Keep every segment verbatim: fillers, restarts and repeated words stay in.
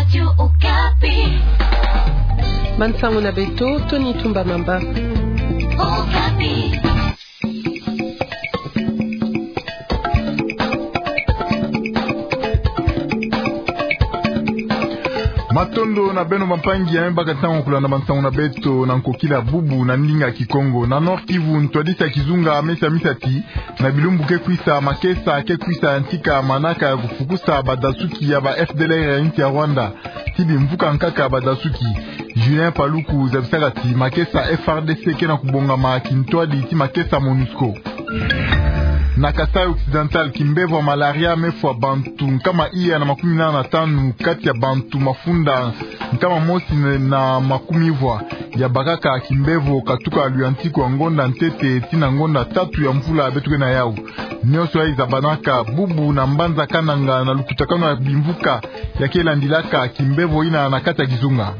Radio Okapi. Bansango na beto, Tony Tumba Mamba. Okapi. Matondo na beno bampangi ya me baka ntangu ya kulanda bansango na beto na nkokila bubu na ndinga Kikongo. Na Nord-Kivu, ntwadisi ya kizunga mesa misati, na bilumbu ke kwisa, makesa ke kwisa yantika manaka ya kufukusa badasuki ya ba F D L R ya insi ya Rwanda ti bimvuka nkaka badasuki. Julien Paluku zabisaka ti makesa F R D C ke na kubongama kintwadi ti makesa MONUSCO. Na Kasaï Occidental, kimbevo ya malaria mefwa bantu nkama iya na makumi nana na tanu kati ya bantu mafunda nkama mosi na makumi vwa. Ya bakaka kimbevo katuka luyantiku ya ngonda ntete tii na ngonda tatu ya mvula beto ke na yawu. Nionso yayi zabanaka bubu na mbanza Kananga na lukutakanu ya bimvuka ya ke landilaka kimbevo yina na kati ya kizunga.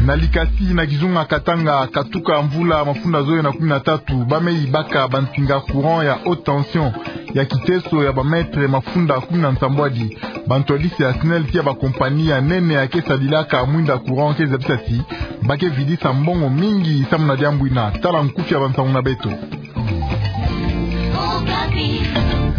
Na likasi na kizunga Katanga, katuka mvula mafunda zole na kumi na tatu, ba me yibaka bansinga courant ya haute tension ya kiteso ya ba mètre mafunda kumi na nsambwadi. Bantwadisi ya SNEL tii ya ba compagnie ya nene ya ke sadilaka mwinda courant ke zabisa ti ba ke vidisa mbongo mingi samu na diambu yina. Tala nkufi ya bansango na beto.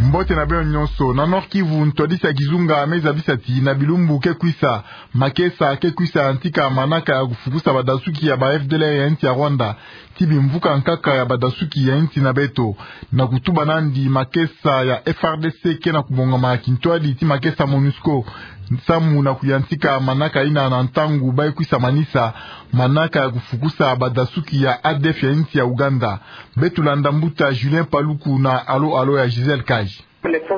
Mbote na beno nionso. Na Nord-Kivu, ntwadisi ya kizunga me zabisa ti na bilumbu ke kwisa, makesa ke kwisa yantika manaka ya kufukusa badasuki ya ba F D L R ya insi ya Rwanda ti bimvuka nkaka ya badasuki ya insi na beto. Na kutuba nandi, makesa ya F R D C ke na kubongama kintwadi ti makesa MONUSCO samu na kuyantika manaka yina na ntangu ba ke kwisa manisa manaka ya kufukusa badasuki ya A D F ya insi ya Uganda. Beto landa mbuta Julien Paluku na alo-alo ya Gisèle Kaji. F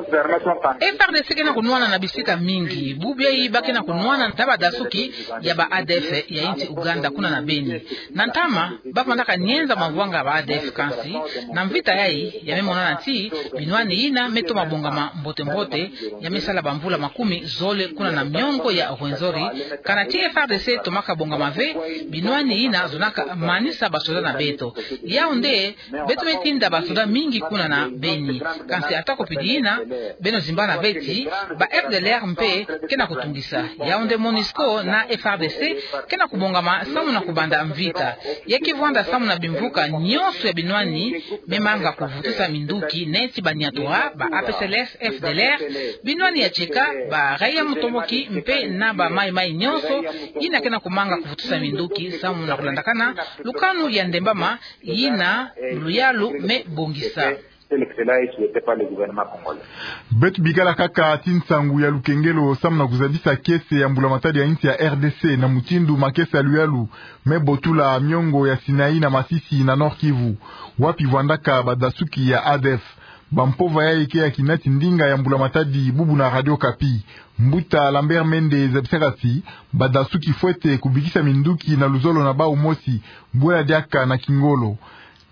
R D C ke na kunwana na bisika mingi. Bubu yayi ba ke na kunwana na badasuki ya ba A D F ya insi Uganda kuna na Beni. Na ntama, ba vandaka nienza mavwanga ya ba A D F, kansi na mvita yayi ya me monana ti binwani yina me toma bongama mbote-mbote, ya me sala bamvula makumi zole kuna na miongo ya Rwenzori, kana ti F R D C tomaka bongama ve binwani yina zonaka manisa basoda na beto. Yawu nde beto me tinda basoda mingi kuna na Beni. Kansi ata kupidi yina, beno zimbana ve ti ba F D L R mpe ke na kutungisa. Yawu nde MONUSCO na F R D C ke na kubongama samu na kubanda mvita. Ya ke vwanda samu na bimvuka nionso ya binwani me manga kuvutusa minduki, neti ba Nyatura, ba A P C L S, F D L R, binwani ya Tcheka, ba raia mutomboki mpe na ba Maï-Maï nionso, yina ke na kumanga kuvutusa minduki samu na kulandakana lukanu ya ndembama yina luyalu me bongisa. Beto bikala kaka ti nsangu ya lukengelo samu na kuzabisa kiese ya mbula-matadi ya insi ya R D C na mutindu makesa luyalu me botula miongo ya Sinaï na Masisi na Nord-Kivu, wapi vwandaka badasuki ya A D F. Bampova yayi ke yakina ti ndinga ya mbula-matadi bubu na Radio Okapi. Mbuta Lambert Mende zabisaka ti badasuki fwete kubikisa minduki na luzolo na bawu mosi, bwela diaka na kingolo.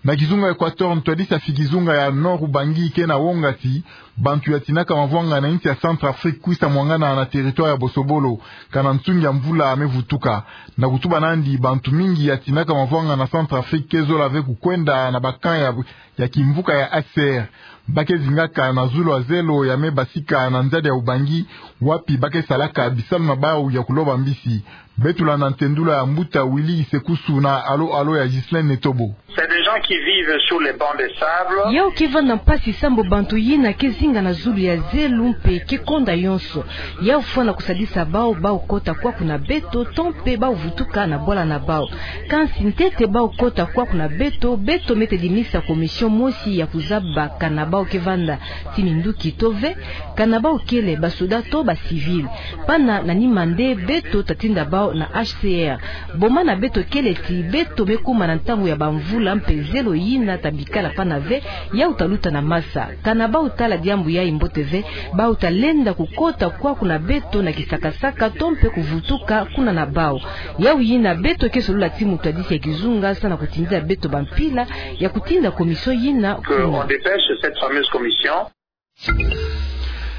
Na kizunga Equateur, ntwadisi ya fi kizunga ya Nord-Ubangi ke na wonga ti bantu yatinaka mavwanga na insi ya Centrafrique kwisa mwangana na territoire ya bosobolo, kana nsungi ya mvula me vutuka. Na kutuba nandi, bantu mingi yatinaka mavwanga na Centrafrique ke zola ve kukwenda na ba camp ya ya kimvuka ya H C R. Ba ke zingaka na zulu ya zelo ya me basika na nzadi ya Ubangi, wapi ba ke salaka bisalu na bawu ya kuloba mbisi. Beto landa ntendula ya mbuta Willy Isekusu na alo-alo ya Ghislaine Netobo. C'est des gens qui vivent sur les bancs de sable. Yawu ke vanda mpasi sambu bantu yina ke zinga na zulu ya zelo mpe ke konda yonso. Yawu fwana kusadisa bawu, bawu kota kwaku na beto, to mpe bawu vutuka na bwala na bawu. Kansi ntete bawu kota kwaku na beto, beto me tedimisa commission mosi ya kuzaba kana bawu ke vanda ti minduki to ve, kana bawu kele basoda to ba civil. Pana na nima nde beto tatinda bawu na H C R. Boma na beto kele ti beto me kuma na ntangu ya bamvula mpe zelo yina tabikala pana ve, yawu taluta na masa. Kana bawu tala diambu yayi mbote ve, bawu talenda kukota kwaku na beto na kisakasaka to mpe kuvutuka kuna na bawu. Yawu yina beto ke solola ti mutwadisi ya kizunga samu na kutindila beto bampila ya kutinda commission yina kuna. Que on dépêche cette fameuse commission.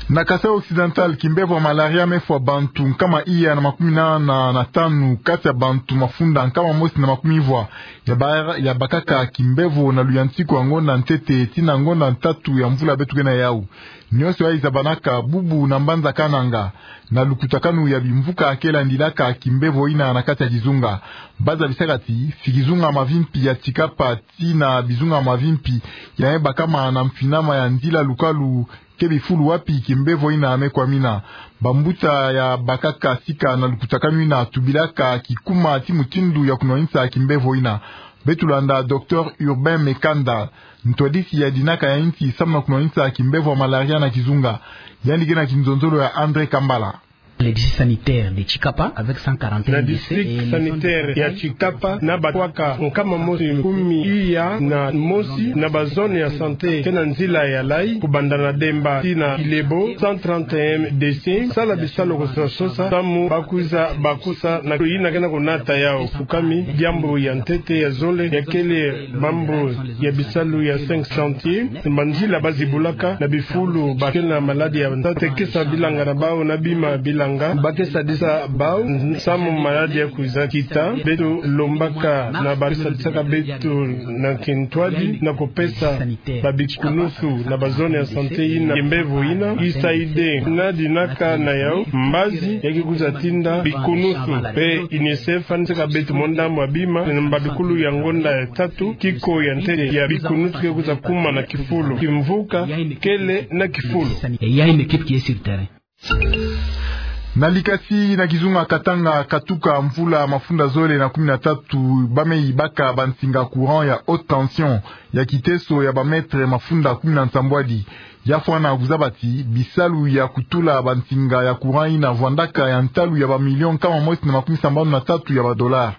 Na Kasaï Occidental, kimbevo ya malaria me fwa bantu nkama iya na makumi nana na tanu kati ya bantu mafunda nkama mosi na makumi vwa. Ya ba-, ya bakaka kimbevo na luyantiku ya ngonda ntete tii na ngonda ntatu ya mvula beto ke na yawu. Nyonso yayi zabanaka bubu na mbanza Kananga, na lukutakanu ya bimvuka ke landilaka kimbevo yina na kati ya kizunga. Ba zabisaka ti, si kizunga mavimpi ya Tshikapa tii na bizunga mavimpi ya me bakama na mfinama ya nzila lukalu ke bifulu wapi kimbevo yina me kwamina. Bambuta ya bakaka sika na lukutakanu yina tubilaka kikuma ti mutindu ya kunwanisa kimbevo yina. Beto landa Docteur Urbain Mekanda, ntwadisi ya dinaka ya insi samu na kunwanisa kimbevo ya malaria na kizunga. Yandi ke na kinzonzolo ya André Kambala. Le district sanitaire de Tshikapa avec cent quarante et un décès et les zones de sanitaire ya Tshikapa na batwaka nkama mosi kumi iya na mosi na ba zone ya santé ke na nzila ya layi, kubanda na Demba tii na Ilebo, cent trente et un décès. Sala bisalu ko sosa sosa samu ba kwiza bakusa na yina ke na kunata yau fukami. Diambu ya ntete ya zole ya kele mambu ya bisalu ya cinq chantiers, manzila ba zibulaka na bifulu ba ke na maladi ya ntete, ke sa bilanga na bau na bima bilanga, ba ke sadisa bau samu maladi ya kwiza kita. Beto lombaka na ba ke sadisaka beto na kintwadi na kupesa ba bikunusu na ba zone ya santé yina kimbevo yina. U S A I D na dinaka na yau mbazi ya ke kwiza tinda bikunusu, pe UNICEF anisaka beto munda mwa bima na mbadukulu ya ngonda ya tatu, kiko ya ntete ya bikunusu ke kwiza kuma na kifulu. Kimvuka kele na kifulu. Et il y a une équipe qui est sur terrain. Na Likasi na kizunga Katanga, katuka mvula mafunda zole na kumi na tatu, ba me yibaka bansinga courant ya haute tension ya kiteso ya ba mètre mafunda kumi na nsambwadi. Ya fwana kuzaba ti bisalu ya kutula bansinga ya courant yina vwandaka ya ntalu ya ba million nkama mosi na makumi sambanu na tatu ya ba dollars.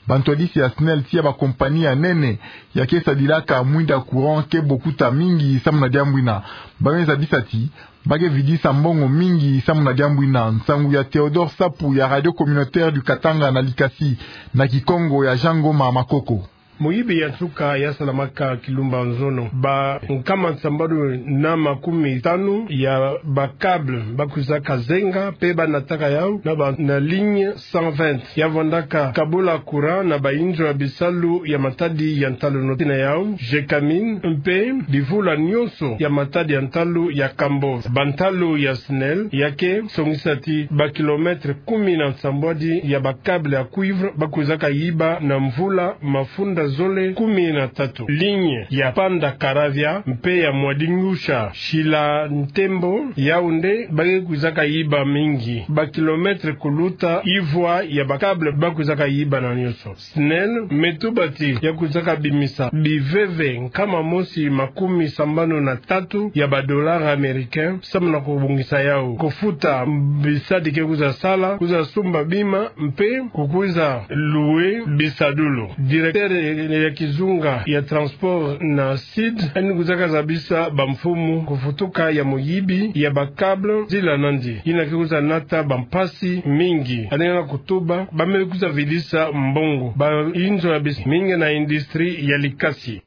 Bantwadisi ya SNEL tii ya ba compagnie ya nene ya ke sadilaka mwinda courant ke bokuta mingi samu na diambu yina. Ba me zabisa ti ba ke vidisa mbongo mingi samu na diambu yina. Nsangu ya Théodore Sapu ya Radio Communautaire du Katanga na Likasi, na Kikongo ya Jean Ngoma Makoko. Moyibi ya nsuka ya salamaka kilumbu nzono. Ba nkama nsambanu na makumi tanu ya ba câble ba kwizaka zenga pe ba nataka yau na ba, na ligne cent vingt ya vwandaka kabula courant na ba inzo ya bisalu ya matadi ya ntalu, noti na yau Gécamines mpe bivula nyonso ya matadi ya ntalu ya Cambodge. Bantalu ya SNEL ya ke songisa ti ba kilomètre kumi na nsambwadi ya ba câble ya cuivre ba kwizaka yiba na mvula mafunda zole kumi na tatu. Ligne ya Panda Karavya mpe ya Mwadingusha Shila Ntembo, yau nde ba ke kwizaka yiba mingi. Ba kilomètre kuluta ivwa ya ba câble ba kwizaka yiba na nyonso. SNEL me tuba ti ya kwizaka bimisa biveve nkama mosi makumi sambanu na tatu ya ba dollars américains samu na kubongisa yau, kufuta bisadi ke kwiza sala, kwiza sumba bima mpe kukwiza louer bisadulu. Directeur ya kizunga ya transport na SID, yandi kwizaka zabisa bamfumu kufutuka ya moyibi ya ba câble nzila nandi, yina ke kwiza nata bampasi mingi. Yandi na kutuba ba me kwiza vidisa mbongo ba inzo ya bis mingi na industrie ya Likasi.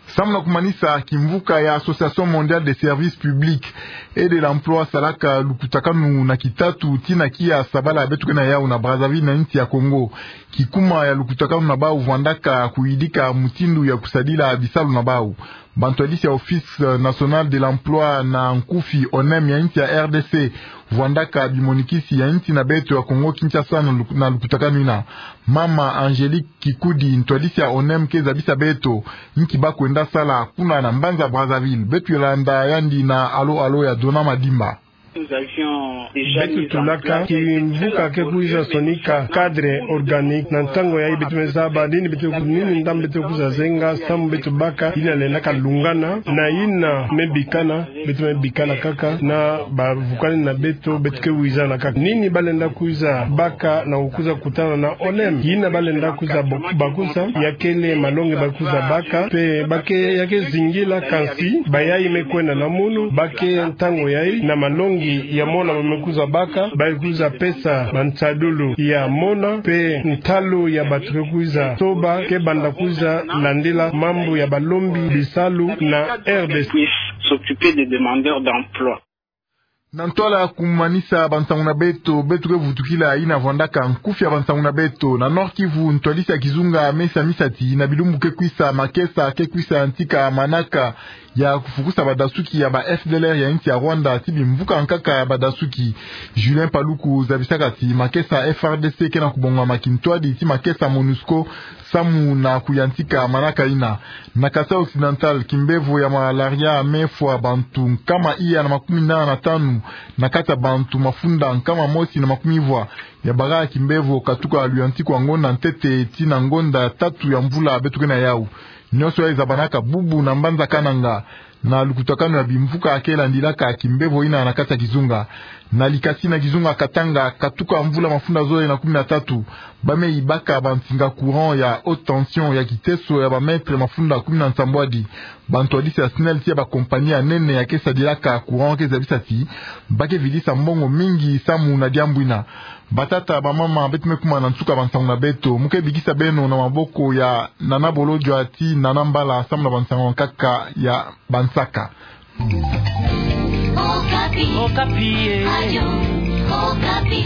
Samu na kumanisa, kimvuka ya Association Mondiale des Services Publics et de l'Emploi salaka lukutakanu na kitatu tii na kia sabala beto ke na yau na Brazzaville na insi ya Congo. Kikuma ya lukutakanu na bau vwandaka kuyidika mutindu ya kusadila bisalu na bau. Bantwadisi ya Office National de l'Emploi na nkufi ONEM ya insi ya RDC vwandaka bimonikisi ya insi na beto ya Congo Kinshasa na luk-, na lukutakanu yina. Mama Angélique Kikudi, ntwadisi ya ONEM, ke zabisa beto nki ba kwenda sala kuna na mbanza Brazzaville. Beto landa yandi na Alo Alo ya Dona Madimba. Beto tulaka kimvuka ke kwiza sonika cadre organique. Na ntangu yayi beto me zaba nini beto, nini ndambu beto kwiza zenga samu beto baka yina lenda kalungana na yina me bikana. Beto me bikana kaka na bavukani na beto, beto ke wizana kaka nini ba lenda kwiza baka na kukwiza kutana na ONEM. Yina ba lenda kwiza bo-, bakusa ya kele malongi ba kwiza baka, mpe ba ke, ya ke zingila, kansi bayayi me kwenda na munu, ba ke ntangu yayi na malongi ya mona ba me kwiza baka, ba kwiza pesa bansadulu ya mona, mpe ntalu ya bato ke kwiza soba ke banda kwiza landila mambu ya balombi bisalu na RDC. S'occuper des demandeurs d'emploi. Na ntwala ya kumanisa bansangu na beto, beto ke vutukila yina vwandaka nkufi ya bansangu na beto. Na Nord-Kivu, ntwadisi ya kizunga mesi ya misati, na bilumbu ke kwisa, makesa ke kwisa yantika manaka ya kufukusa badasuki ya ba F D L R ya insi ya Rwanda ti bimvuka nkaka ya badasuki. Julien Paluku zabisaka ti makesa F A R D C ke na kubongama kintwadi ti makesa MONUSCO samu na kuyantika manaka yina. Na Kasaï Occidental, kimbevo ya malaria me fwa bantu nkama iya na makumi nana na tanu na kati ya bantu mafunda nkama mosi na makumi vwa. Ya bara kimbevo katuka luyantiku wa ngonda ntete ti na ngonda tatu ya mvula beto ke na yawu. Nionso yayi zabanaka bubu na mbanza Kananga, na lukutakanu ya bimvuka ke landilaka kimbevo yina na kati ya kizunga. Na likasi na kizunga Katanga, katuka mvula mafunda zole na kumi na tatu, ba me yibaka bansinga courant ya haute tension ya kiteso ya ba mètre mafunda kumi na nsambwadi. Bantwadisi ya SNEL ti ya ba compagnie ya nene ya ke sadilaka courant ke zabisa ti ba ke vidisa mbongo mingi samu na diambu yina. Batata, bamama, beto me kuma na nsuka bansangu na beto. Mu ke bikisa beno na maboko ya Nana Bolodjwa ti Nana Mbala samu na bansangu nkaka ya bansaka. Okapi. Okapi, eh. Radio Okapi.